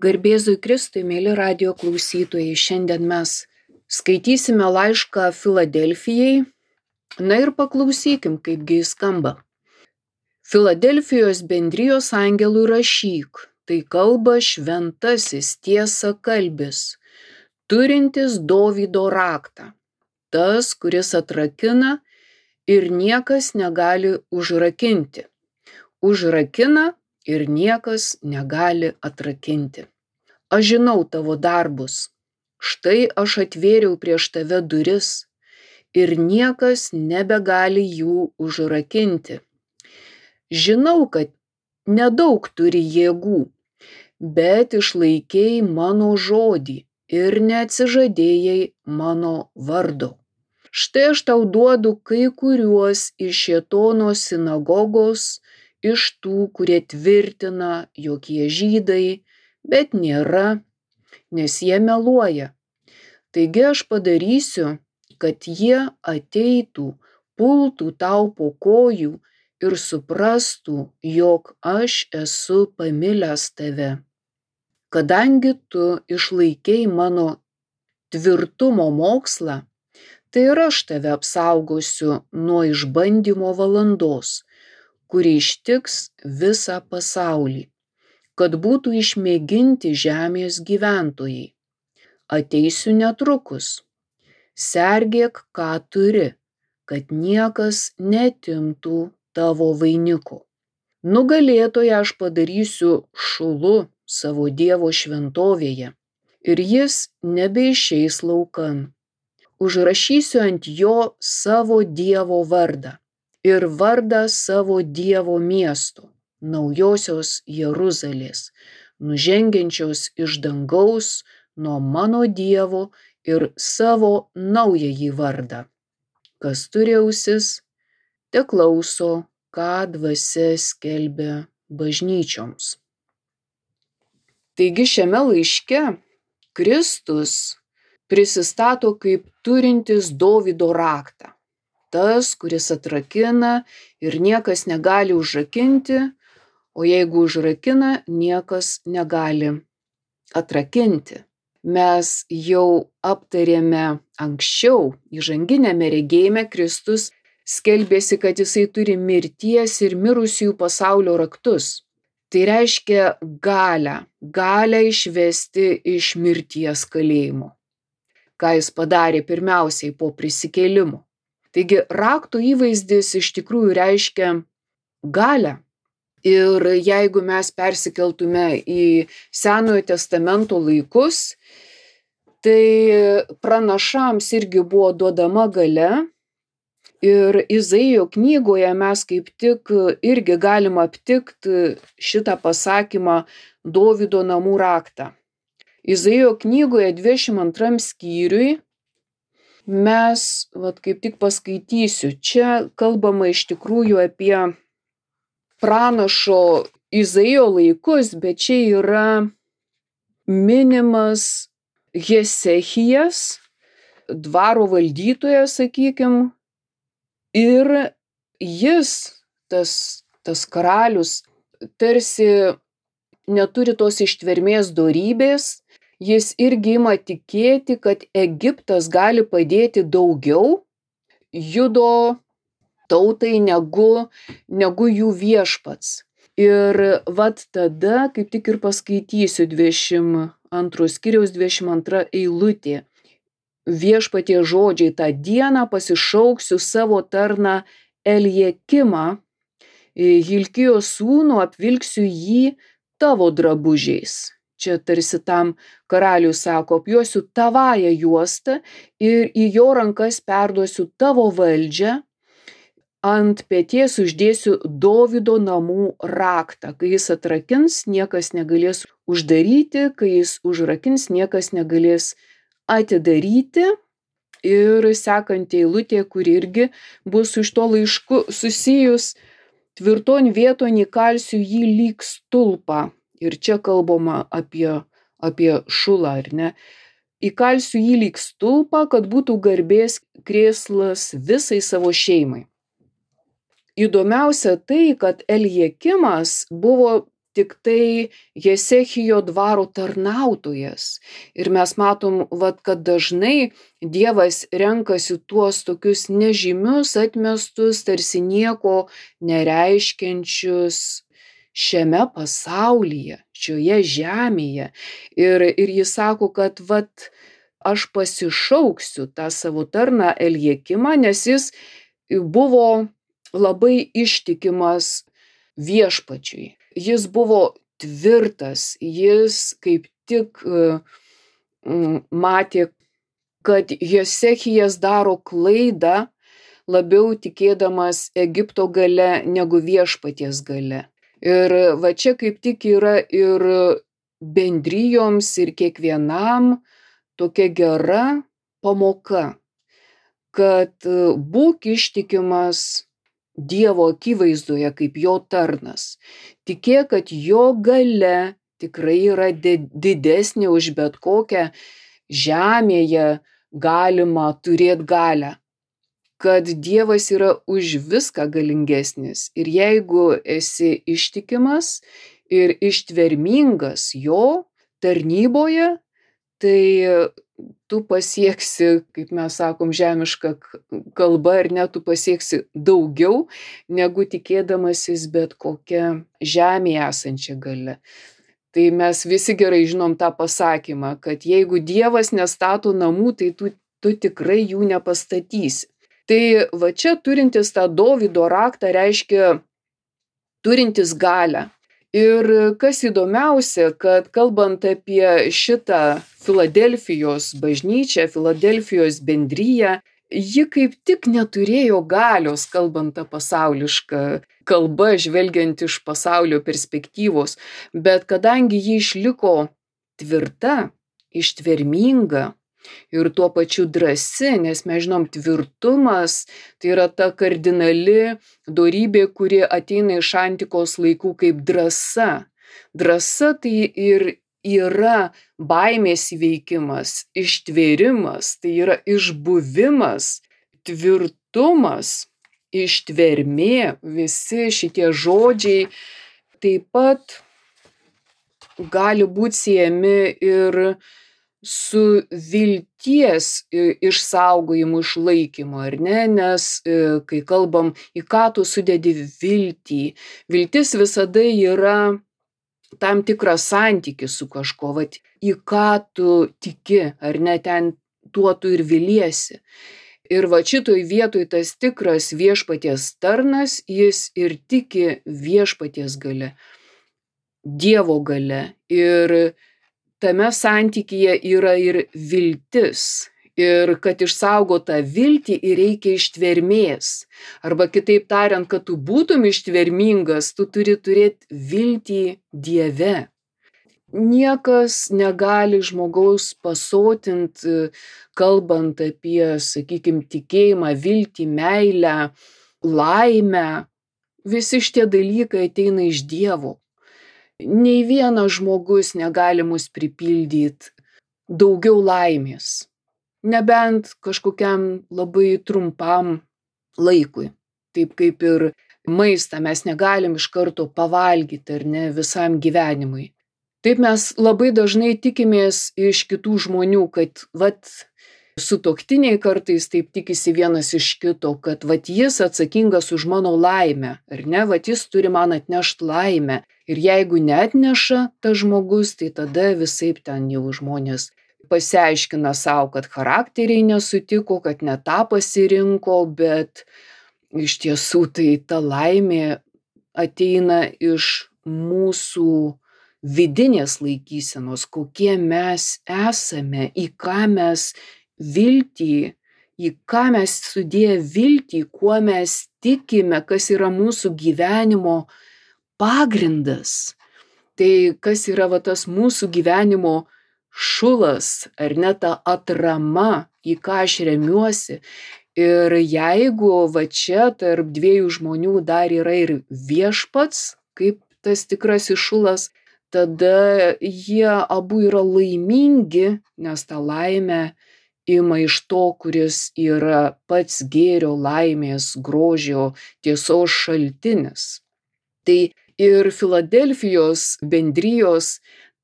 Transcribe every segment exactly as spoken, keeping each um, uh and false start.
Garbėzui Kristui, mėly radijo klausytojai, šiandien mes skaitysime laišką Filadelfijai. Na ir paklausykim, kaipgi jis skamba. Filadelfijos bendrijos angelui rašyk, tai kalba šventasis tiesa kalbis, turintis Dovydo raktą, tas, kuris atrakina ir niekas negali užrakinti. Užrakina ir niekas negali atrakinti. Aš žinau tavo darbus. Štai aš atvėriau prieš tave duris ir niekas nebegali jų užrakinti. Žinau, kad nedaug turi jėgų, bet išlaikėjai mano žodį ir neatsižadėjai mano vardo. Štai aš tau duodu kai kuriuos iš Šėtono sinagogos, iš tų, kurie tvirtina, jog jie žydai, bet nėra, nes jie meluoja. Taigi aš padarysiu, kad jie ateitų, pultų tau po kojų ir suprastų, jog aš esu pamilęs tave. Kadangi tu išlaikei mano tvirtumo mokslą, tai ir aš tave apsaugosiu nuo išbandymo valandos, kuri ištiks visą pasaulį, kad būtų išmėginti žemės gyventojai. Ateisiu netrukus. Sergėk, ką turi, kad niekas neatimtų tavo vainiko. Nugalėtoją aš padarysiu šulu savo Dievo šventovėje, ir jis nebeišeis laukan. Užrašysiu ant jo savo Dievo vardą ir vardą savo Dievo miesto, naujosios Jeruzalės, nužengiančios iš dangaus nuo mano Dievo ir savo naująjį vardą. Kas turi ausis, teklauso, ką dvasia skelbia bažnyčioms. Taigi šiame laiške Kristus prisistato kaip turintis Dovydo raktą. Tas, kuris atrakina ir niekas negali užrakinti, o jeigu užrakina, niekas negali atrakinti. Mes jau aptarėme anksčiau, įžanginiame regėjime Kristus skelbėsi, kad jisai turi mirties ir mirusiųjų pasaulio raktus. Tai reiškia galią, galią išvesti iš mirties kalėjimo, ką jis padarė pirmiausiai po prisikėlimo. Taigi rakto įvaizdis iš tikrųjų reiškia galią. Ir jeigu mes persikeltume į Senojo testamento laikus, tai pranašams irgi buvo duodama galia. Ir Izaijo knygoje mes kaip tik irgi galim aptikti šitą pasakymą Dovydo namų raktą. Izaijo knygoje dvidešimt antram skyriui mes, vat kaip tik paskaitysiu, čia kalbama iš tikrųjų apie pranašo Izaijo laikus, bet čia yra minimas Hezekijas, dvaro valdytojas, sakykim, ir jis, tas, tas karalius, tarsi neturi tos ištvermės dorybės, jis irgi ima tikėti, kad Egiptas gali padėti daugiau Judo tautai negu, negu jų viešpats. Ir vat tada, kaip tik ir paskaitysiu dvidešimt antro skyriaus dvidešimt antra eilutė. Viešpatie žodžiai: tą dieną pasišauksiu savo tarną Eliekimą, Hilkijo sūnų, apvilksiu jį tavo drabužiais. Čia tarsi tam karaliui sako, apjuosiu tavąją juostą ir į jo rankas perduosiu tavo valdžią, ant peties uždėsiu Dovydo namų raktą. Kai jis atrakins, niekas negalės uždaryti, kai jis užrakins, niekas negalės atidaryti. Ir sekanti eilutė, kuri irgi bus iš to laišku susijus: tvirton vieton įkalsiu jį lyg stulpą. Ir čia kalbama apie, apie šulą, ar ne? Įkalsiu jį lyg stulpą, kad būtų garbės krėslas visai savo šeimai. Įdomiausia tai, kad Eliekimas buvo tik tai Jesechijo dvaro tarnautojas. Ir mes matom, vat, kad dažnai Dievas renkasi tuos tokius nežymius, atmestus, tarsi nieko nereiškiančius šiame pasaulyje, šioje žemėje. Ir, ir jis sako, kad vat, aš pasišauksiu tą savo tarną Eliakimą, nes jis buvo labai ištikimas viešpačiui. Jis buvo tvirtas, jis kaip tik matė, kad Josechijas daro klaidą, labiau tikėdamas Egipto gale negu viešpaties gale. Ir va čia kaip tik yra ir bendrijoms, ir kiekvienam tokia gera pamoka, kad būk ištikimas Dievo akivaizdoje kaip jo tarnas. Tikėk, kad jo galia tikrai yra didesnė už bet kokią žemėje galimą turėti galią. Kad Dievas yra už viską galingesnis. Ir jeigu esi ištikimas ir ištvermingas jo tarnyboje, tai tu pasieksi, kaip mes sakom, žemišką kalbą, ar ne, tu pasieksi daugiau, negu tikėdamasis bet kokią žemėje esančią galę. Tai mes visi gerai žinom tą pasakymą, kad jeigu Dievas nestato namų, tai tu, tu tikrai jų nepastatysi. Tai va čia turintis tą Dovydo raktą reiškia turintis galią. Ir kas įdomiausia, kad kalbant apie šitą Filadelfijos bažnyčią, Filadelfijos bendriją, ji kaip tik neturėjo galios, kalbant tą pasaulišką kalbą, žvelgiant iš pasaulio perspektyvos, bet kadangi ji išliko tvirta, ištverminga ir tuo pačiu drąsi, nes mes žinom, tvirtumas tai yra ta kardinali dorybė, kuri ateina iš antikos laikų kaip drąsa. Drąsa tai ir yra baimės įveikimas, ištvėrimas, tai yra išbuvimas, tvirtumas, ištvermė, visi šitie žodžiai taip pat gali būti siejami ir su vilties išsaugojimu, išlaikymu, ar ne, nes kai kalbam, į ką tu sudedi viltį, viltis visada yra tam tikras santykis su kažko, vat, į ką tu tiki, ar ne, ten tuo tu ir viliesi. Ir va šitoj vietoj tas tikras viešpaties tarnas, jis ir tiki viešpaties gale, Dievo gale. Ir tame santykyje yra ir viltis. Ir kad išsaugot tą viltį, ir reikia ištvermės. Arba kitaip tariant, kad tu būtum ištvermingas, tu turi turėti viltį Dieve. Niekas negali žmogaus pasotinti, kalbant apie, sakykime, tikėjimą, viltį, meilę, laimę. Visi šitie dalykai ateina iš Dievo. Nei vienas žmogus negali mus pripildyti daugiau laimės, nebent kažkokiam labai trumpam laikui. Taip kaip ir maistą mes negalim iš karto pavalgyti, ar ne, visam gyvenimui. Taip mes labai dažnai tikimės iš kitų žmonių, kad vat sutuoktiniai kartais taip tikisi vienas iš kito, kad vat jis atsakingas už mano laimę, ar ne, vat jis turi man atnešti laimę. Ir jeigu neatneša tas žmogus, tai tada visaip ten jau žmonės pasiaiškina savo, kad charakteriai nesutiko, kad ne tą pasirinko, bet iš tiesų tai ta laimė ateina iš mūsų vidinės laikysenos, kokie mes esame, į ką mes viltį, į ką mes sudėję viltį, kuo mes tikime, kas yra mūsų gyvenimo pagrindas. Tai kas yra va tas mūsų gyvenimo šulas, ar ne, ta atrama, į ką aš remiuosi. Ir jeigu va čia tarp dviejų žmonių dar yra ir viešpats, kaip tas tikrasis šulas, tada jie abu yra laimingi, nes tą laimę ima iš to, kuris yra pats gėrio, laimės, grožio, tiesos šaltinis. Tai Ir Filadelfijos bendrijos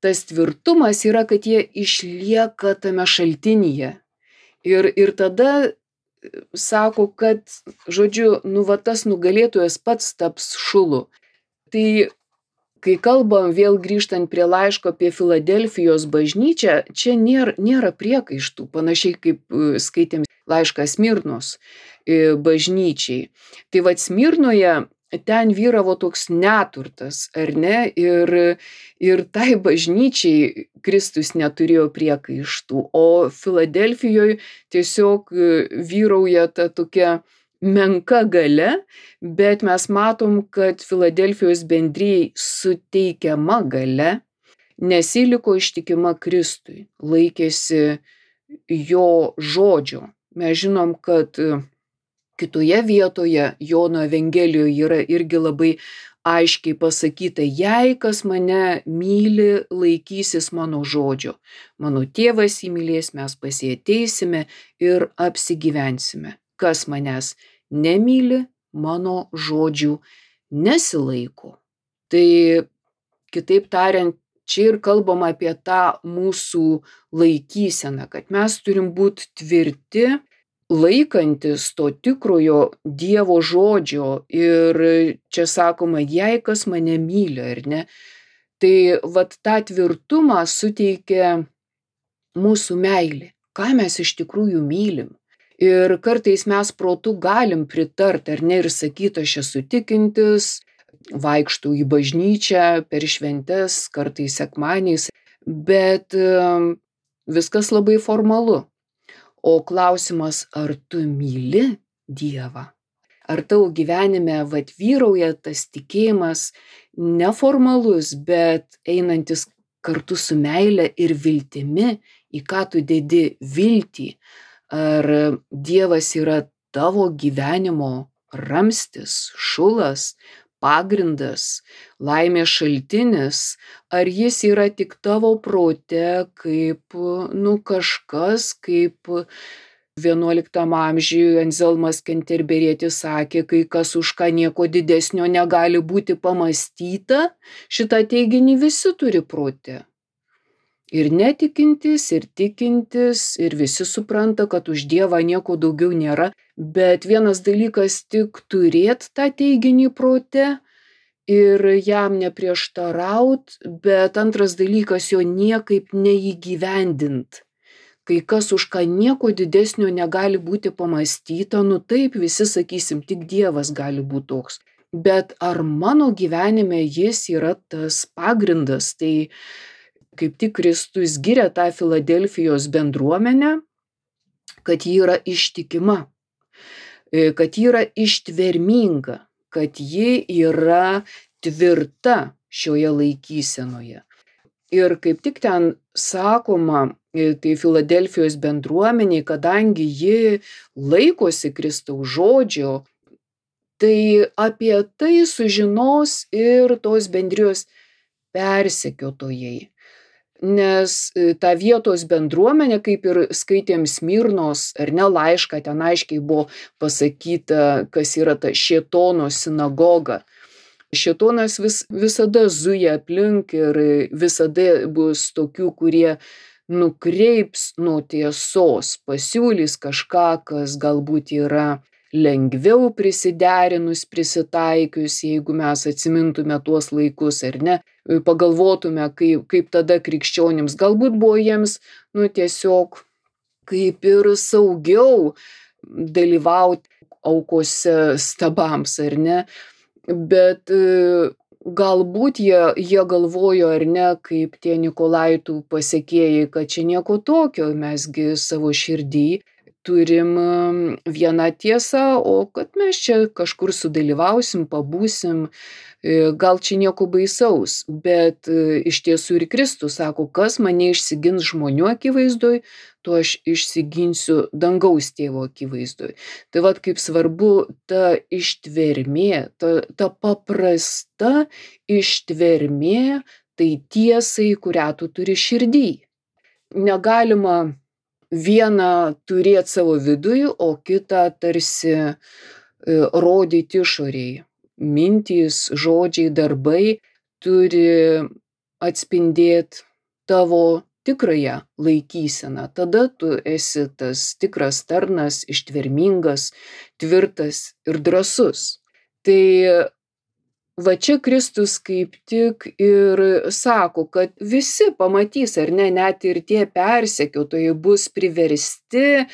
tas tvirtumas yra, kad jie išlieka tame šaltinyje. Ir, ir tada sako, kad, žodžiu, nu va tas nugalėtojas pats taps šulu. Tai kai kalbam vėl grįžtant prie laiško apie Filadelfijos bažnyčią, čia nėra, nėra priekaištų, panašiai kaip skaitėm laišką Smirnos bažnyčiai. Tai vat Smirnoje ten vyravo toks neturtas, ar ne? Ir, ir tai bažnyčiai Kristus neturėjo priekaištų, o Filadelfijoje tiesiog vyrauja ta tokia menka galia, bet mes matom, kad Filadelfijos bendrijai suteikiama galia, nes ji liko ištikima Kristui, laikėsi jo žodžio. Mes žinom, kad kitoje vietoje Jono Evangelijoje yra irgi labai aiškiai pasakyta, jei kas mane myli, laikysis mano žodžio. Mano tėvas jį mylės, mes pas jį ateisime ir apsigyvensime. Kas manęs nemyli, mano žodžių nesilaiko. Tai kitaip tariant, čia ir kalbam apie tą mūsų laikyseną, kad mes turim būti tvirti, laikantis to tikrojo Dievo žodžio. Ir čia sakoma, jei kas mane myli, ar ne? Tai vat tą tvirtumą suteikia mūsų meilė. Ką mes iš tikrųjų mylim? Ir kartais mes protu galim pritart, ar ne, ir sakyti, aš esu tikintis, vaikštau į bažnyčią per šventes, kartais sekmadieniais, bet viskas labai formalu. O klausimas, ar tu myli Dievą? Ar tavo gyvenime vat vyrauja tas tikėjimas neformalus, bet einantis kartu su meile ir viltimi, į ką tu dedi viltį? Ar Dievas yra tavo gyvenimo ramstis, šulas, pagrindas, laimės šaltinis, ar jis yra tik tavo prote kaip, nu, kažkas, kaip vienuoliktam amžiuje Anzelmas Kenterberietis sakė, kai kas už ką nieko didesnio negali būti pamastyta, šitą teiginį visi turi prote. Ir netikintis, ir tikintis, ir visi supranta, kad už Dievą nieko daugiau nėra, bet vienas dalykas tik turėt tą teiginį prote ir jam neprieštaraut, bet antras dalykas jo niekaip neįgyvendint. Kai kas už ką nieko didesnio negali būti pamastyta, nu taip visi sakysim, tik Dievas gali būti toks. Bet ar mano gyvenime jis yra tas pagrindas? Tai kaip tik Kristus giria tą Filadelfijos bendruomenę, kad ji yra ištikima, kad ji yra ištverminga, kad ji yra tvirta šioje laikysenoje. Ir kaip tik ten sakoma, tai Filadelfijos bendruomeniai, kadangi ji laikosi Kristaus žodžio, tai apie tai sužinos ir tos bendrijos persekiotojai. Nes ta vietos bendruomenė, kaip ir skaitėm Smirnos ar ne laišką, ten aiškiai buvo pasakyta, kas yra ta šėtono sinagoga. Šėtonas vis, visada zuja aplink ir visada bus tokių, kurie nukreips nuo tiesos, pasiūlys kažką, kas galbūt yra lengviau prisiderinus, prisitaikius, jeigu mes atsimintume tuos laikus ar ne, pagalvotume, kaip, kaip tada krikščionims galbūt buvo jiems, nu, tiesiog kaip ir saugiau dalyvauti aukose stabams, ar ne, bet galbūt jie, jie galvojo, ar ne, kaip tie Nikolaitų pasekėjai, kad čia nieko tokio, mesgi savo širdį turim vieną tiesą, o kad mes čia kažkur sudalyvausim, pabūsim, gal čia nieko baisaus, bet iš tiesų ir Kristus sako, kas mane išsigins žmonių akivaizdoj, to aš išsiginsiu dangaus tėvo akivaizdoj. Tai vat kaip svarbu ta ištvermė, ta, ta paprasta ištvermė, tai tiesai, kurią tu turi širdį. Negalima vieną turėti savo viduje, o kitą tarsi rodyti išoriai. mintys, žodžiai, darbai turi atspindėti tavo tikrąją laikyseną. Tada tu esi tas tikras tarnas, ištvermingas, tvirtas ir drąsus. Tai va čia Kristus kaip tik ir sako, kad visi pamatys, ar ne, net ir tie persekiotojai bus priversti,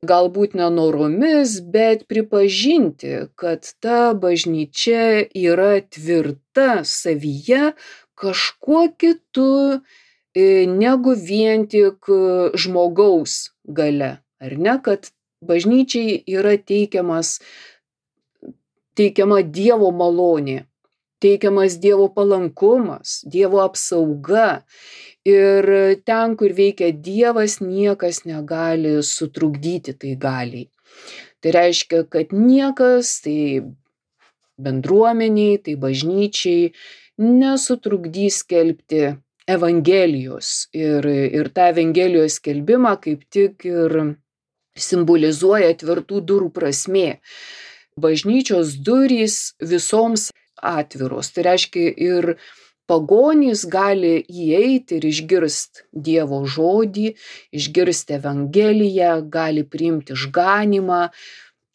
galbūt nenoromis, bet pripažinti, kad ta bažnyčia yra tvirta savyje kažkuo kitu negu vien tik žmogaus galia, ar ne, kad bažnyčiai yra teikiamas, teikiama Dievo malonė, teikiamas Dievo palankumas, Dievo apsauga. Ir ten, kur veikia Dievas, niekas negali sutrukdyti tai galiai. Tai reiškia, kad niekas, tai bendruomeniai, tai bažnyčiai nesutrukdys skelbti Evangelijos. Ir, ir tą Evangelijos skelbimą kaip tik ir simbolizuoja tvirtų durų prasmė. Bažnyčios durys visoms atviros. Tai reiškia, ir pagonys gali įeiti ir išgirsti Dievo žodį, išgirsti Evangeliją, gali priimti išganymą.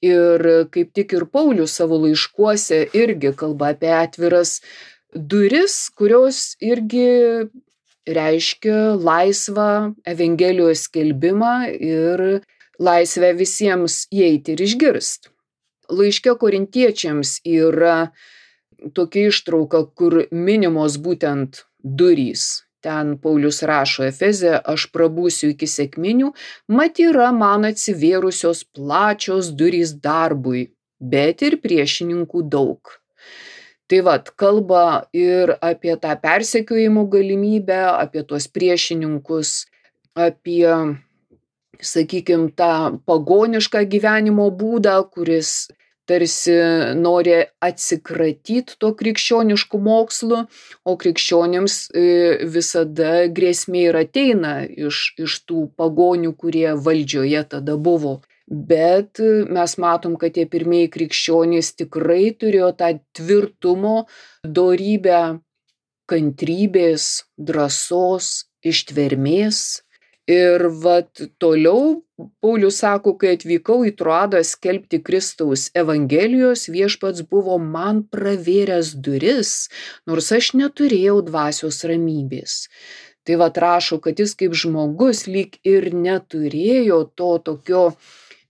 Ir kaip tik ir Paulius savo laiškuose irgi kalba apie atviras duris, kurios irgi reiškia laisvą Evangelijos skelbimą ir laisvę visiems įeiti ir išgirsti. Laiške Korintiečiams yra tokia ištrauka, kur minimos būtent durys. Ten Paulius rašo Efeze, aš prabūsiu iki sekminių, mat yra man atsivėrusios plačios durys darbui, bet ir priešininkų daug. Tai vat, kalba ir apie tą persekiojimo galimybę, apie tuos priešininkus, apie, sakykime, tą pagonišką gyvenimo būdą, kuris tarsi nori atsikratyti to krikščioniškų mokslų, o krikščionims visada grėsmė ir ateina iš, iš tų pagonių, kurie valdžioje tada buvo. Bet mes matom, kad tie pirmieji krikščionys tikrai turėjo tą tvirtumo, dorybę, kantrybės, drąsos, ištvermės. Ir vat toliau Paulius sako, kai atvykau į Troadą skelbti Kristaus Evangelijos, viešpats buvo man pravėręs duris, nors aš neturėjau dvasios ramybės. Tai vat rašo, kad jis kaip žmogus lyg ir neturėjo to tokio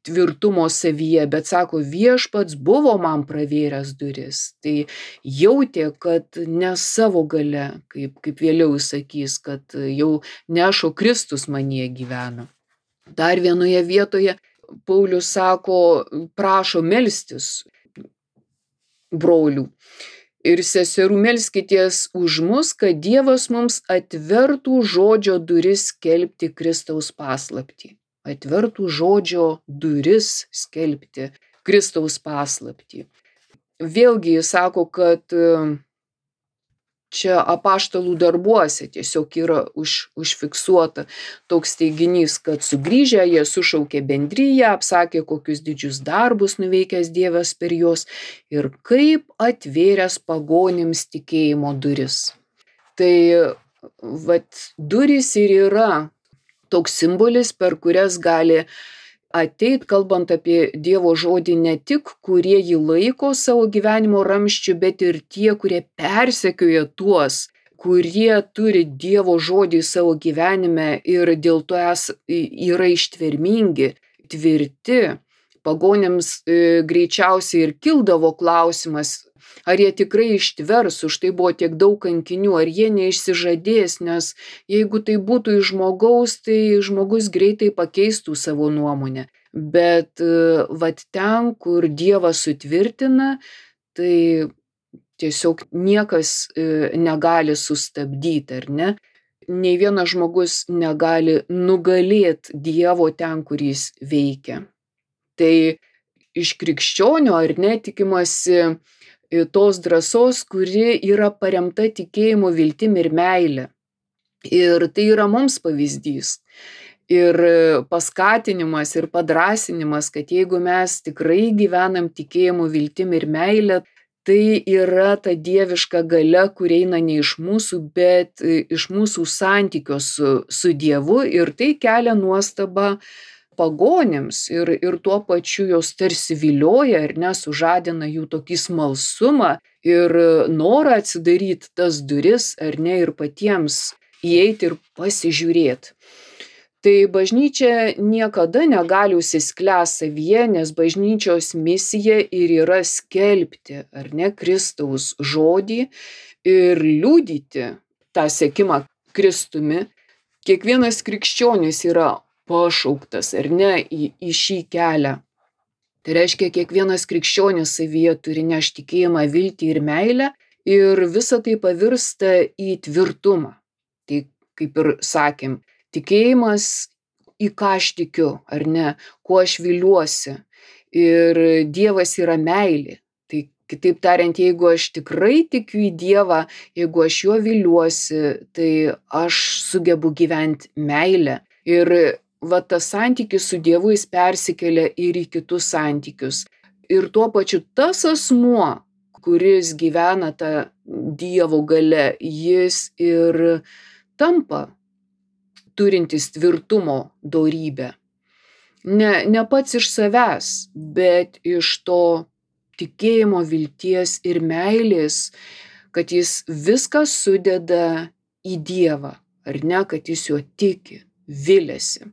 tvirtumo savyje, bet sako, viešpats buvo man pravėręs duris. Tai jautė, kad ne savo galia, kaip, kaip vėliau jis sakys, kad jau nešo Kristus manyje gyvena. Dar vienoje vietoje Paulius sako, prašo melstis brolių ir seserų, melskitės už mus, kad Dievas mums atvertų žodžio duris skelbti Kristaus paslaptį. Atvertų žodžio duris skelbti Kristaus paslaptį. Vėlgi jis sako, kad čia apaštalų darbuose tiesiog yra už, užfiksuota toks teiginys, kad sugrįžę jie sušaukė bendriją, apsakė, kokius didžius darbus nuveikęs Dievas per juos ir kaip atvėręs pagonims tikėjimo duris. Tai vat durys ir yra toks simbolis, per kurias gali ateit, kalbant apie Dievo žodį, ne tik kurie jį laiko savo gyvenimo ramsčiu, bet ir tie, kurie persekioja tuos, kurie turi Dievo žodį savo gyvenime ir dėl to es, yra ištvermingi, tvirti. Pagonims e, greičiausiai ir kildavo klausimas, ar jie tikrai ištvers, už tai buvo tiek daug kankinių, ar jie neišsižadės, nes jeigu tai būtų iš žmogaus, tai žmogus greitai pakeistų savo nuomonę. Bet vat ten, kur Dievas sutvirtina, tai tiesiog niekas negali sustabdyti, ar ne? Nei vienas žmogus negali nugalėti Dievo ten, kur jis veikia. Tai iš krikščionio, ar ne, tikimasi tos drąsos, kuri yra paremta tikėjimu, viltim ir meile. Ir tai yra mums pavyzdys. Ir paskatinimas ir padrąsinimas, kad jeigu mes tikrai gyvenam tikėjimu, viltim ir meile, tai yra ta dieviška galia, kuri eina ne iš mūsų, bet iš mūsų santykio su, su Dievu, ir tai kelia nuostabą pagonims ir, ir tuo pačiu jos tarsi vilioja ir nesužadina jų tokį smalsumą ir norą atsidaryti tas duris, ar ne, ir patiems įeiti ir pasižiūrėti. Tai bažnyčia niekada negali užsisklęsti savyje, nes bažnyčios misija ir yra skelbti, ar ne, Kristaus žodį ir liudyti tą sekimą Kristumi. Kiekvienas krikščionis yra pašauktas, ar ne, į, į šį kelią. Tai reiškia, kiekvienas krikščionis savyje turi nešti tikėjimą, viltį ir meilę, ir visa tai pavirsta į tvirtumą. Tai kaip ir sakėm, tikėjimas, į ką aš tikiu, ar ne, kuo aš viliuosi. Ir Dievas yra meilė. Tai kitaip tariant, jeigu aš tikrai tikiu į Dievą, jeigu aš juo viliuosi, tai aš sugebu gyventi meilę. Ir va tas santykis su Dievu jis persikelia ir į kitus santykius. Ir tuo pačiu tas asmuo, kuris gyvena tą Dievo galia, jis ir tampa turintis tvirtumo dorybę. Ne, ne pats iš savęs, bet iš to tikėjimo, vilties ir meilės, kad jis viską sudeda į Dievą, ar ne, kad jis juo tiki, viliasi.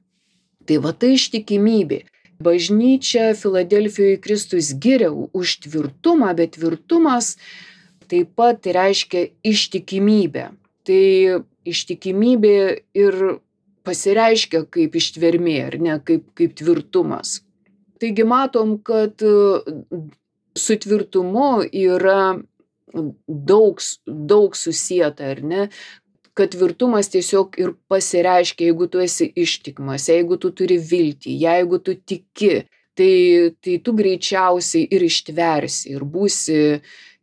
Tai va tai ištikimybė. Bažnyčia Filadelfijoje Kristus giria už tvirtumą, bet tvirtumas taip pat reiškia ištikimybę. Tai ištikimybė ir pasireiškia kaip ištvermė, ar ne, kaip, kaip tvirtumas. Taigi matom, kad su tvirtumu yra daug, daug susieta, ar ne, kad tvirtumas tiesiog ir pasireiškia, jeigu tu esi ištikimas, jeigu tu turi viltį, jeigu tu tiki, tai, tai tu greičiausiai ir ištversi ir būsi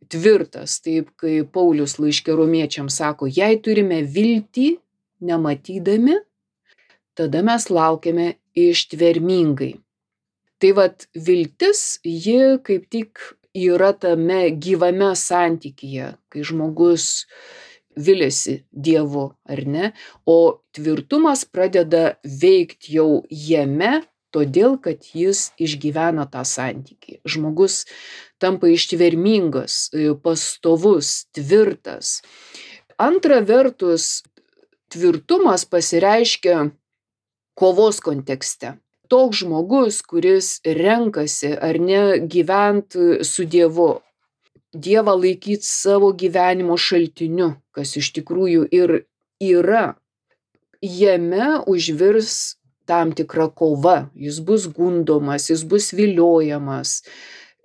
tvirtas, taip kaip Paulius laiške Romiečiams sako, jei turime viltį nematydami, tada mes laukiame ištvermingai. Tai vat viltis, ji kaip tik yra tame gyvame santykyje, kai žmogus viliasi Dievu, ar ne, o tvirtumas pradeda veikti jau jame, todėl kad jis išgyvena tą santykį. Žmogus tampa ištvermingas, pastovus, tvirtas. Antra vertus, tvirtumas pasireiškia kovos kontekste. Toks žmogus, kuris renkasi ar ne gyventi su Dievu, Dievą laikyti savo gyvenimo šaltiniu, kas iš tikrųjų ir yra, jame užvirs tam tikra kova, jis bus gundomas, jis bus viliojamas,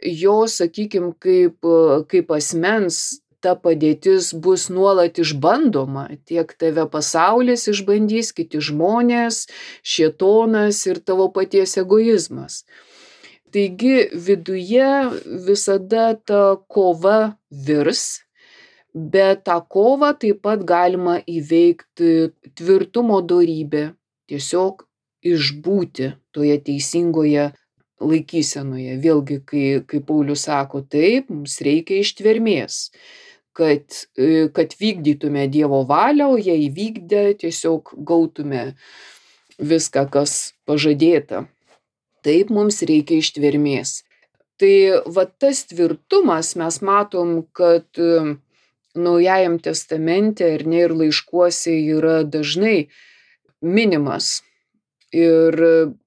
jo, sakykim, kaip, kaip asmens ta padėtis bus nuolat išbandoma, tiek tave pasaulis išbandys, kiti žmonės, šėtonas ir tavo paties egoizmas. Taigi viduje visada ta kova virs, bet tą kovą taip pat galima įveikti tvirtumo dorybė, tiesiog išbūti toje teisingoje laikysenoje. Vėlgi, kai, kai Paulius sako, taip, mums reikia ištvermės, kad, kad vykdytume Dievo valią, o jei įvykdę, tiesiog gautume viską, kas pažadėta. Taip, mums reikia ištvermės. Tai va tas tvirtumas mes matom, kad Naujajam testamente ir ne ir laiškuose yra dažnai minimas. Ir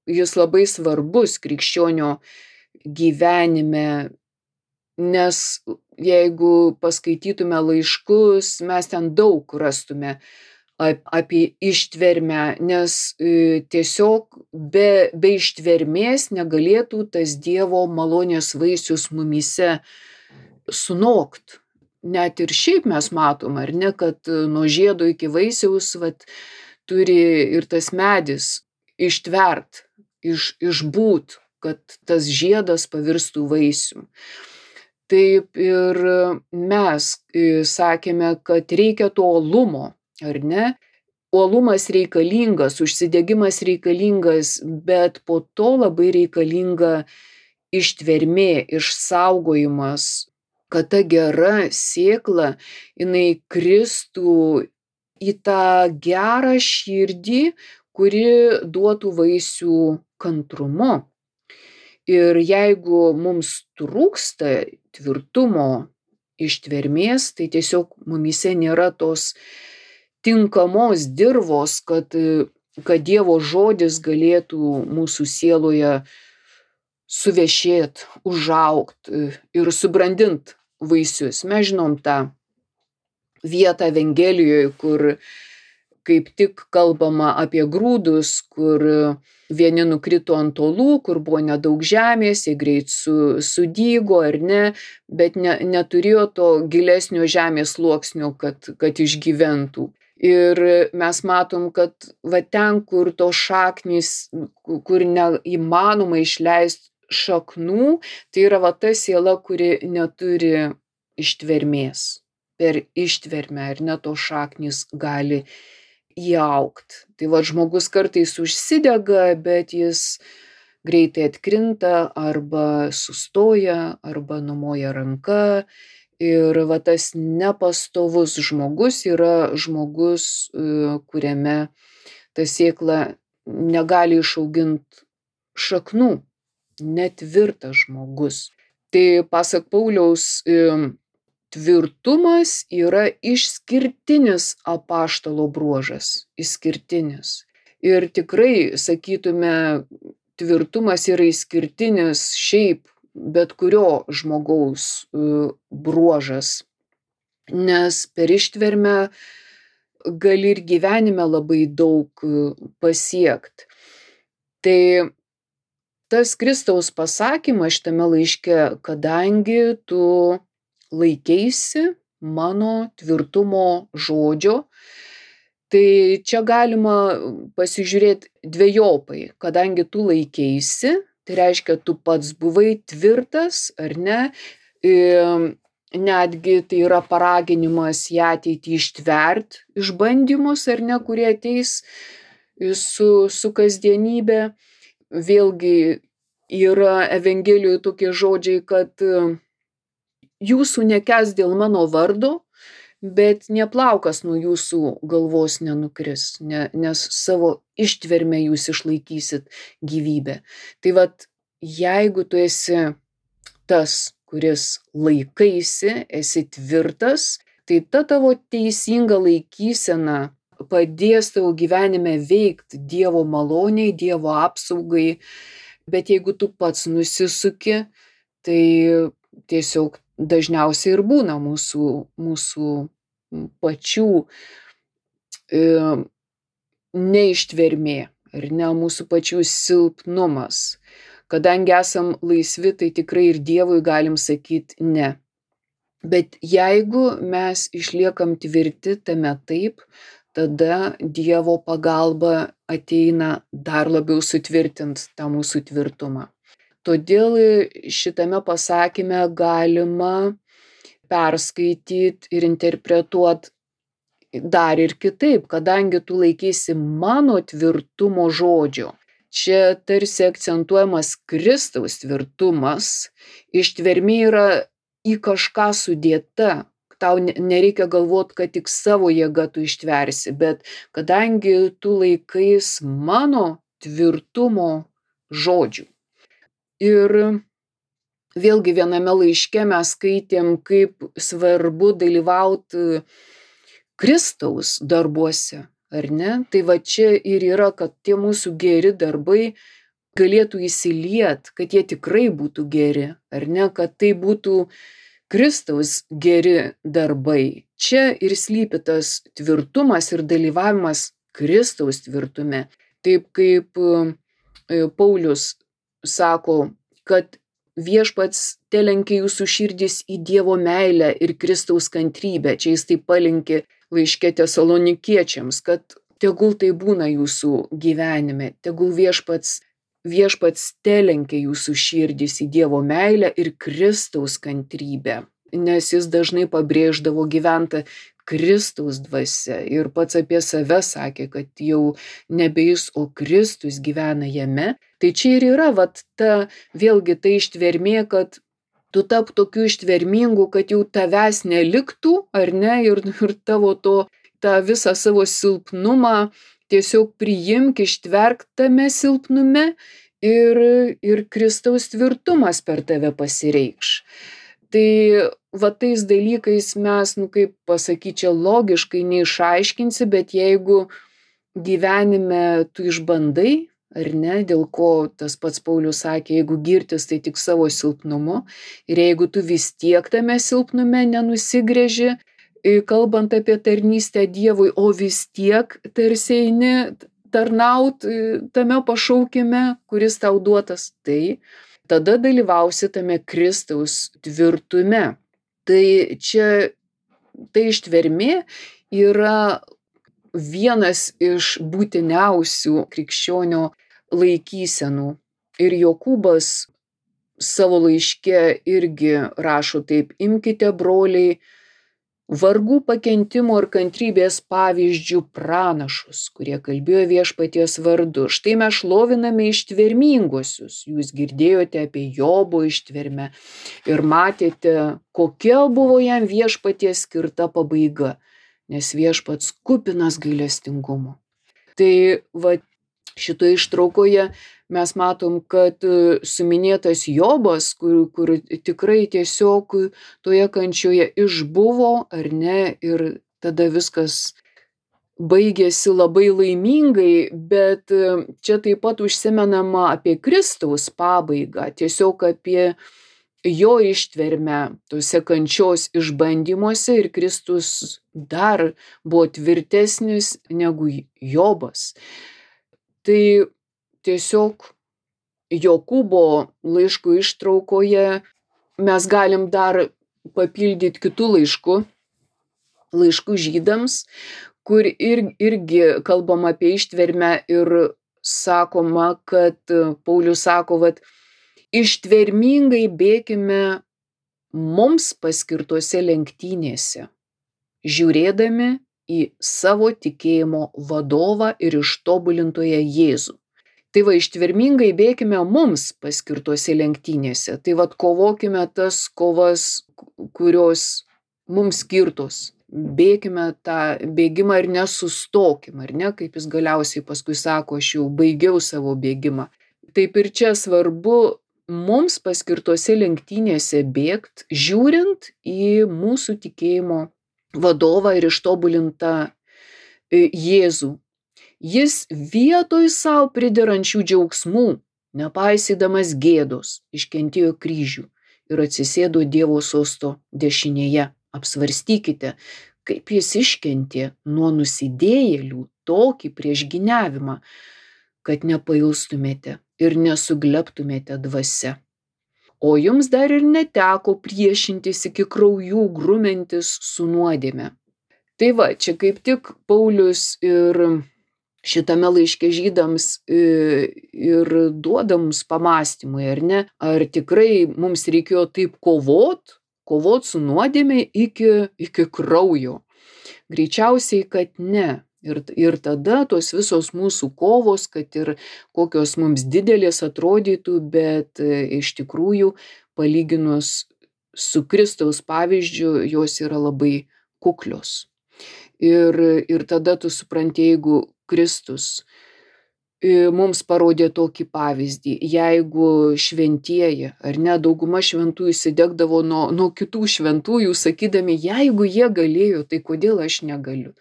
jis labai svarbus krikščionio gyvenime, nes jeigu paskaitytume laiškus, mes ten daug rastume apie ištvermę, nes tiesiog be, be ištvermės negalėtų tas Dievo malonės vaisius mumyse sunokt. Net ir šiaip mes matom, ar ne, kad nuo žiedo iki vaisiaus vat, turi ir tas medis ištvert, iš, išbūt, kad tas žiedas pavirstų vaisium. Taip ir mes sakėme, kad reikia to uolumo, ar ne? Uolumas reikalingas, užsidegimas reikalingas, bet po to labai reikalinga ištvermė, išsaugojimas kad ta gera sėkla, jinai kristų į tą gerą širdį, kuri duotų vaisių kantrumu. Ir jeigu mums trūksta tvirtumo, ištvermės, tai tiesiog mumyse nėra tos tinkamos dirvos, kad, kad Dievo žodis galėtų mūsų sieloje suvešėt, užaugt ir subrandint vaisius. Mes žinom tą vietą Evangelijoje, kur kaip tik kalbama apie grūdus, kur vieni nukrito ant uolų, kur buvo nedaug žemės, jie greit su, sudygo ar ne, bet ne, neturėjo to gilesnio žemės sluoksnio, kad, kad išgyventų. Ir mes matom, kad va ten, kur tos šaknys, kur neįmanoma išleisti šaknų, tai yra va ta siela, kuri neturi ištvermės. Per ištvermę ar ne tos šaknys gali įaugt. Tai va žmogus kartais užsidega, bet jis greitai atkrinta arba sustoja, arba numoja ranka. Ir va tas nepastovus žmogus yra žmogus, kuriame ta sėkla negali išauginti šaknų. Netvirtas žmogus. Tai pasak Pauliaus, tvirtumas yra išskirtinis apaštalo bruožas. Išskirtinis. Ir tikrai, sakytume, tvirtumas yra išskirtinis šiaip bet kurio žmogaus bruožas. Nes per ištvermę gali ir gyvenime labai daug pasiekt. Tai tas Kristaus pasakymas šitame laiške, kadangi tu laikeisi mano tvirtumo žodžio, tai čia galima pasižiūrėti dvejopai. Kadangi tu laikeisi, tai reiškia, tu pats buvai tvirtas, ar ne? Netgi tai yra paraginimas į ateitį ištvert išbandymus, ar ne, kurie ateis su, su kasdienybė. Vėlgi yra Evangelijoje tokie žodžiai, kad jūsų nekęs dėl mano vardo, bet nė plaukas nuo jūsų galvos nenukris, ne, nes savo ištverme jūs išlaikysit gyvybę. Tai vat, jeigu tu esi tas, kuris laikaisi, esi tvirtas, tai ta tavo teisinga laikysena padės tavo gyvenime veikti Dievo maloniai, Dievo apsaugai, bet jeigu tu pats nusisuki, tai tiesiog dažniausiai ir būna mūsų, mūsų pačių e, neištvermė, ar ne, mūsų pačių silpnumas. Kadangi esam laisvi, tai tikrai ir Dievui galim sakyti ne. Bet jeigu mes išliekam tvirti tame taip, tada Dievo pagalba ateina dar labiau sutvirtint tą mūsų tvirtumą. Todėl šitame pasakyme galima perskaityti ir interpretuoti dar ir kitaip, kadangi tu laikysi mano tvirtumo žodžio. Čia tarsi akcentuojamas Kristaus tvirtumas, ištvermė yra į kažką sudėta. Tau nereikia galvoti, kad tik savo jėga tu ištversi, bet kadangi tu laikais mano tvirtumo žodžių. Ir vėlgi viename laiške mes skaitėm, kaip svarbu dalyvauti Kristaus darbuose, ar ne? Tai va čia ir yra, kad tie mūsų geri darbai galėtų įsiliet, kad jie tikrai būtų geri, ar ne? Kad tai būtų Kristaus geri darbai. Čia ir slypi tas tvirtumas ir dalyvavimas Kristaus tvirtume. Taip kaip Paulius sako, kad viešpats telenkia jūsų širdis į Dievo meilę ir Kristaus kantrybę. Čia jis taip palinkė laiške Tesalonikiečiams, kad tegul tai būna jūsų gyvenime, tegul viešpats, viešpats telenkia jūsų širdis į Dievo meilę ir Kristaus kantrybę. Nes jis dažnai pabrėždavo gyventą Kristaus dvasia ir pats apie save sakė, kad jau nebe jis, o Kristus gyvena jame. Tai čia ir yra vat ta vėlgi ta ištvermė, kad tu tap tokiu ištvermingu, kad jau tavęs neliktų, ar ne, ir, ir tavo to, tą visą savo silpnumą tiesiog priimk, ištverk tame silpnume ir, ir Kristaus tvirtumas per tave pasireikš. Tai va tais dalykais mes, nu kaip pasakyti, čia logiškai neišaiškinsi, bet jeigu gyvenime tu išbandai, ar ne, dėl ko tas pats Paulius sakė, jeigu girtis, tai tik savo silpnumu, ir jeigu tu vis tiek tame silpnume nenusigrėži, kalbant apie tarnystę Dievui, o vis tiek tarsi eini tarnaut tame pašaukime, kuris tau duotas, tai tada dalyvausi tame Kristaus tvirtume. Tai čia, tai ištvermė yra vienas iš būtiniausių krikščionio laikysenų. Ir Jokūbas savo laiške irgi rašo taip: imkite, broliai, vargų, pakentimo ir kantrybės pavyzdžių pranašus, kurie kalbėjo viešpaties vardu. Štai mes šloviname ištverminguosius. Jūs girdėjote apie Jobo ištvermę ir matėte, kokia buvo jam viešpaties skirta pabaiga, nes viešpats kupinas gailestingumo. Tai va, šitoje ištraukoje mes matom, kad suminėtas Jobas, kur, kur tikrai tiesiog toje kančioje išbuvo, ar ne, ir tada viskas baigėsi labai laimingai, bet čia taip pat užsimenama apie Kristaus pabaigą, tiesiog apie jo ištvermę tose kančios išbandymuose, ir Kristus dar buvo tvirtesnis negu Jobas. Tai tiesiog Jokūbo laiškų ištraukoje mes galim dar papildyti kitų laiškų, laiškų žydams, kur ir, irgi kalbam apie ištvermę ir sakoma, kad Paulius sako, vat, ištvermingai bėkime mums paskirtose lenktynėse, žiūrėdami į savo tikėjimo vadovą ir ištobulintoją Jėzų. Tai va, ištvermingai bėkime mums paskirtose lenktynėse. Tai va, kovokime tas kovas, kurios mums skirtos. Bėkime tą bėgimą ir nesustokim, ar ne, kaip jis galiausiai paskui sako, aš jau baigiau savo bėgimą. Taip ir čia svarbu mums paskirtose lenktynėse bėgt, žiūrint į mūsų tikėjimo vadovą ir ištobulintą Jėzų. Jis vietoj savo priderančių džiaugsmų, nepaisydamas gėdos, iškentėjo kryžių ir atsisėdo Dievo sosto dešinėje. Apsvarstykite, kaip jis iškentė nuo nusidėjėlių tokį priešgyniavimą, kad nepailstumėte ir nesuglebtumėte dvasia. O jums dar ir neteko priešintis iki kraujų grumentis su nuodėme. Tai va, čia kaip tik Paulius ir šitame laiške žydams ir duoda mums pamąstymui, ar ne? Ar tikrai mums reikėjo taip kovot, kovot su nuodėme iki, iki kraujo? Greičiausiai, kad ne. Ir, ir tada tos visos mūsų kovos, kad ir kokios mums didelės atrodytų, bet iš tikrųjų, palyginus su Kristaus pavyzdžiu, jos yra labai kuklios. Ir, ir tada tu supranti, jeigu Kristus mums parodė tokį pavyzdį, jeigu šventieji, ar ne, dauguma šventųjų įsidegdavo nuo, nuo kitų šventųjų, sakydami, jeigu jie galėjo, tai kodėl aš negaliu?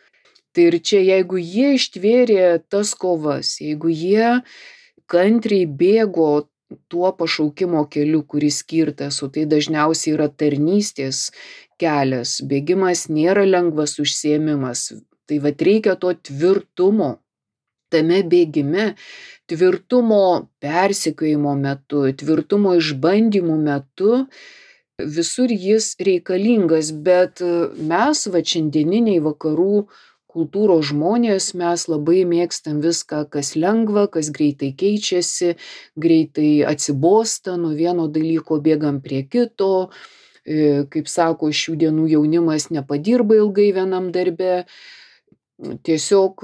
Tai ir čia, jeigu jie ištvėrė tas kovas, jeigu jie kantriai bėgo tuo pašaukimo keliu, kuris skirtas, o tai dažniausiai yra tarnystės kelias, bėgimas nėra lengvas užsiėmimas, tai vat reikia to tvirtumo tame bėgime, tvirtumo persekiojimo metu, tvirtumo išbandymų metu, visur jis reikalingas, bet mes, va, šiandieniniai vakarų kultūros žmonės, mes labai mėgstam viską, kas lengva, kas greitai keičiasi, greitai atsibosta, nuo vieno dalyko bėgam prie kito, kaip sako, šių dienų jaunimas nepadirba ilgai vienam darbe. Tiesiog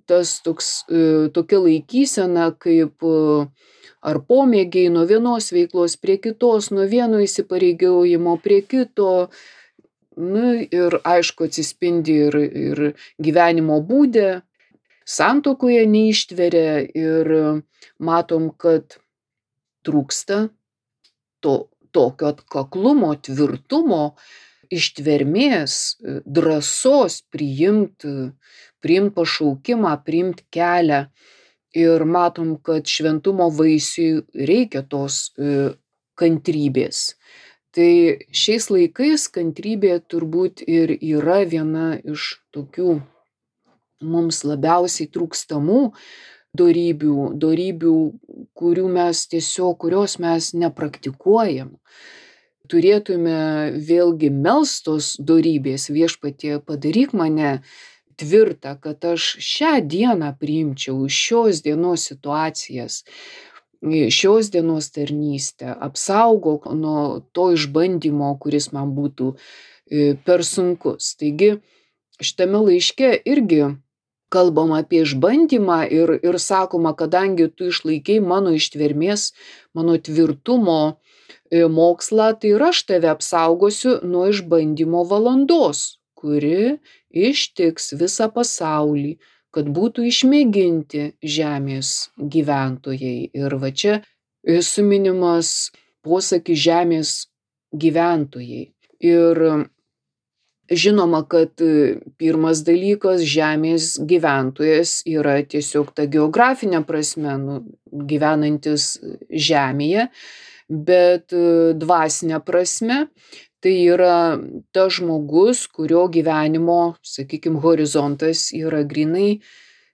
tas toks, tokia laikysena, kaip ar pomėgiai nuo vienos veiklos prie kitos, nuo vieno įsipareigojimo prie kito. Nu, ir aišku, atsispindi ir, ir gyvenimo būde, santuokoje neištveria ir matom, kad trūksta to, tokio atkaklumo, tvirtumo, ištvermės, drąsos priimt, priimt pašaukimą, priimt kelią. Ir matom, kad šventumo vaisiui reikia tos kantrybės. Tai šiais laikais kantrybė turbūt ir yra viena iš tokių mums labiausiai trūkstamų dorybių, dorybių, kurių mes tiesiog, kurios mes nepraktikuojam. Turėtume vėlgi melstos dorybės, viešpatie, padaryk mane tvirtą, kad aš šią dieną priimčiau šios dienos situacijas, šios dienos tarnystę, apsaugok nuo to išbandymo, kuris man būtų per sunkus. Taigi, šitame laiške irgi kalbam apie išbandymą ir, ir sakoma, kadangi tu išlaikei mano ištvermės, mano tvirtumo mokslą, tai ir aš tave apsaugosiu nuo išbandymo valandos, kuri ištiks visą pasaulį, kad būtų išmėginti žemės gyventojai. Ir va čia suminimas posakis žemės gyventojai. Ir žinoma, kad pirmas dalykas, žemės gyventojas yra tiesiog ta geografinė prasme, nu, gyvenantis žemėje, bet dvasinė prasme tai yra tas žmogus, kurio gyvenimo, sakykime, horizontas yra grinai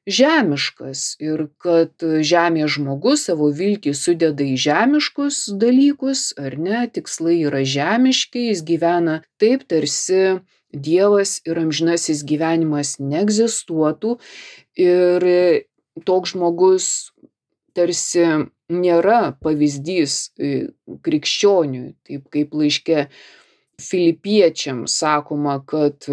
žemiškas. Ir kad žemės žmogus savo viltį sudeda į žemiškus dalykus, ar ne, tikslai yra žemiški, jis gyvena taip, tarsi Dievas ir amžinasis gyvenimas neegzistuotų. Ir toks žmogus tarsi nėra pavyzdys krikščioniui, taip kaip laiške Filipiečiams sakoma, kad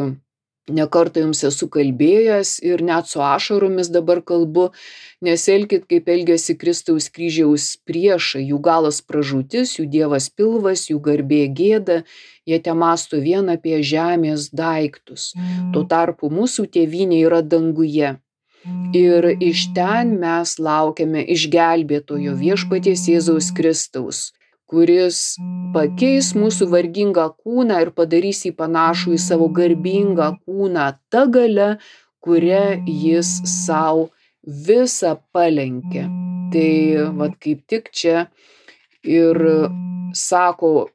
ne kartą jums esu kalbėjęs ir net su ašaromis dabar kalbu, nesielkit kaip elgiasi Kristaus kryžiaus priešai, jų galas pražūtis, jų dievas pilvas, jų garbė gėda, jie temąsto vien apie žemės daiktus. Tuo tarpu mūsų tėvynė yra danguje. Ir iš ten mes laukiame išgelbėtojo viešpaties Jėzaus Kristaus, kuris pakeis mūsų vargingą kūną ir padarys jį panašų į savo garbingą kūną ta galia, kurią jis savo visą palenkė. Tai vat kaip tik čia ir sako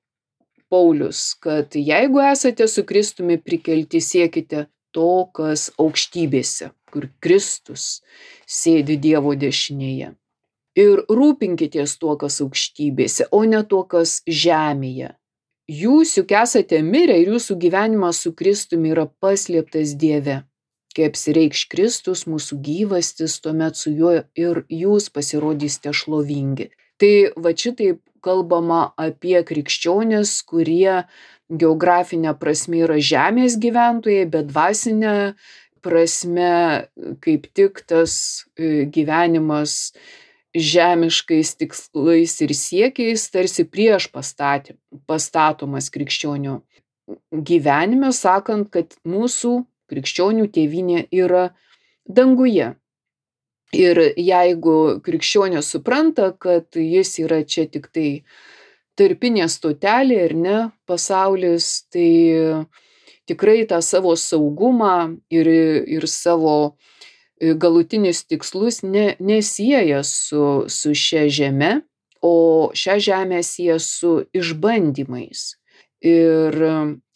Paulius, kad jeigu esate su Kristumi prikelti, siekite to, kas aukštybėse, kur Kristus sėdi Dievo dešinėje. Ir rūpinkitės tuo, kas aukštybėse, o ne tuo, kas žemėje. Jūs juk esate mirę ir jūsų gyvenimas su Kristumi yra paslėptas Dieve. Kai apsireikš Kristus, mūsų gyvastis, tuomet su juo ir jūs pasirodysite šlovingi. Tai va šitaip kalbama apie krikščionis, kurie geografinė prasme yra žemės gyventojai, bet dvasinė prasme kaip tik tas gyvenimas žemiškais tikslais ir siekiais tarsi prieš pastatė, pastatomas krikščionių gyvenime, sakant, kad mūsų krikščionių tėvynė yra danguje. Ir jeigu krikščionis supranta, kad jis yra čia tik tai tarpinė stotelė ir ne pasaulis, tai tikrai tą savo saugumą ir, ir savo galutinius tikslus ne, nesieja su, su šia žeme, o šią žemę sieja su išbandymais. Ir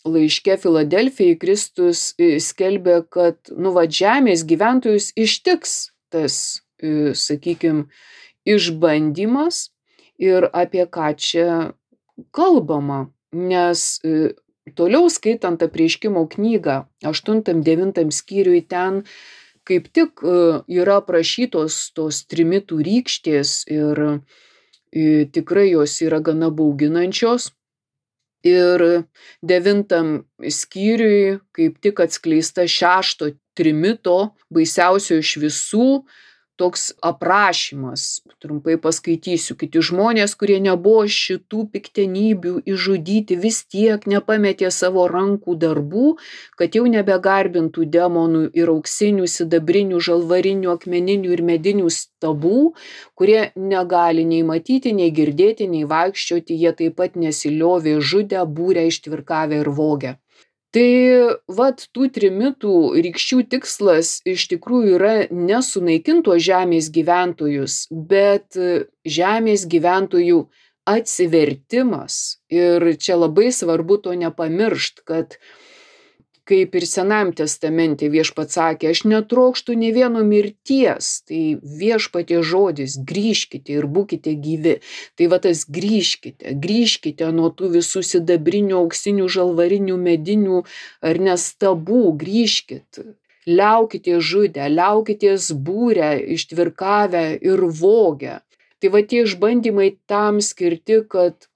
laiške Filadelfijai Kristus skelbia, kad nu, va, žemės gyventojus ištiks tas, sakykime, išbandymas ir apie ką čia kalbama. Nes toliau skaitant Apreiškimo knygą, aštuntam devintam skyriui, ten kaip tik yra aprašytos tos trimitų rykštės ir tikrai jos yra gana bauginančios. Ir devintam skyriui kaip tik atskleista šešto trimito, baisiausio iš visų, toks aprašymas, trumpai paskaitysiu. Kiti žmonės, kurie nebuvo šitų piktenybių išžudyti, vis tiek nepametė savo rankų darbų, kad jau nebegarbintų demonų ir auksinių, sidabrinių, žalvarinių, akmeninių ir medinių stabų, kurie negali nei matyti, nei girdėti, nei vaikščioti, jie taip pat nesiliovė žudę, būrę, ištvirkavę ir vogę. Tai vat tų trimitų rykščių tikslas iš tikrųjų yra nesunaikinti tuos žemės gyventojus, bet žemės gyventojų atsivertimas. Ir čia labai svarbu to nepamiršt, kad kaip ir Senajam testamente Viešpats sakė, aš netrokštu nė vieno mirties, tai Viešpaties žodis, grįžkite ir būkite gyvi. Tai va tas grįžkite, grįžkite nuo tų visų sidabrinių, auksinių, žalvarinių, medinių ar nestabų, grįžkit. Liaukite žudę, liaukitės būrę, ištvirkavę ir vogę. Tai va tie išbandymai tam skirti, kad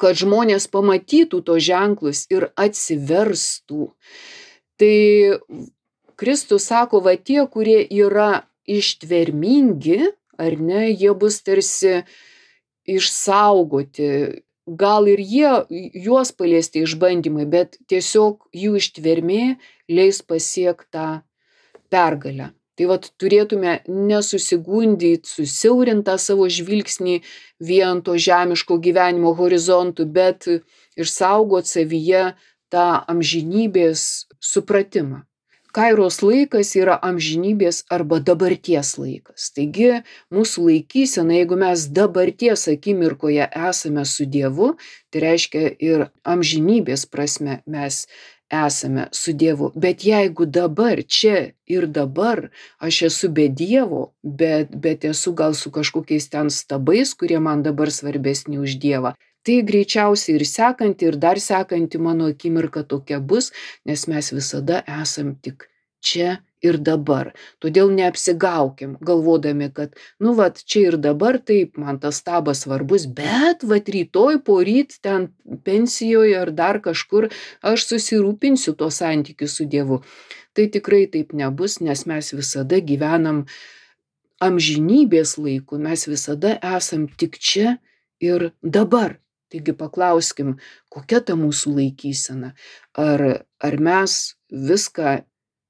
kad žmonės pamatytų tos ženklus ir atsiverstų. Tai Kristus sako, va tie, kurie yra ištvermingi, ar ne, jie bus tarsi išsaugoti. Gal ir jie, juos paliesti išbandymai, bet tiesiog jų ištvermė leis pasiekti tą pergalę. Tai vat turėtume nesusigundyti, susiaurintą savo žvilgsnį vien to žemiško gyvenimo horizontų, bet išsaugot savyje tą amžinybės supratimą. Kairos laikas yra amžinybės arba dabarties laikas. Taigi mūsų laikysena, jeigu mes dabarties akimirkoje esame su Dievu, tai reiškia ir amžinybės prasme mes esame su Dievu. Bet jeigu dabar, čia ir dabar aš esu be Dievo, bet, bet esu gal su kažkokiais ten stabais, kurie man dabar svarbesni už Dievą, tai greičiausiai ir sekanti, ir dar sekanti mano akimirka tokia bus, nes mes visada esam tik čia ir dabar. Todėl neapsigaukim, galvodami, kad, nu, vat, čia ir dabar taip, man tas stabas svarbus, bet, vat, rytoj, poryt, ten pensijoje ar dar kažkur aš susirūpinsiu to santykiu su Dievu. Tai tikrai taip nebus, nes mes visada gyvenam amžinybės laiku, mes visada esam tik čia ir dabar. Taigi paklauskim, kokia ta mūsų laikysena? Ar, ar mes viską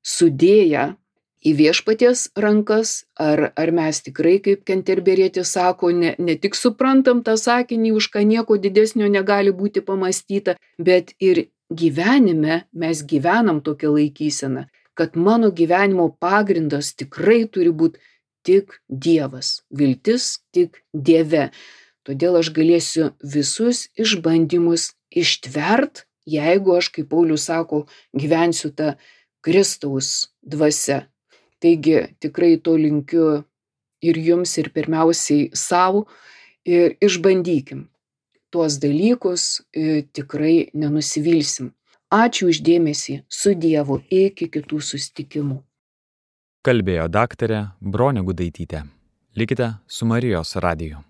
sudėję į Viešpaties rankas, ar, ar mes tikrai, kaip Kenterberietis sako, ne, ne tik suprantam tą sakinį, už ką nieko didesnio negali būti pamastyta, bet ir gyvenime mes gyvenam tokią laikyseną, kad mano gyvenimo pagrindas tikrai turi būti tik Dievas, viltis tik Dieve. Todėl aš galėsiu visus išbandymus ištvert, jeigu aš, kaip Paulius sako, gyvensiu tą Kristaus dvasia. Taigi tikrai to linkiu ir jums, ir pirmiausiai savo, ir išbandykim tuos dalykus, tikrai nenusivilsim. Ačiū už dėmesį, su Dievu, iki kitų susitikimų. Kalbėjo daktarė Bronė Gudaitytė. Likite su Marijos radiju.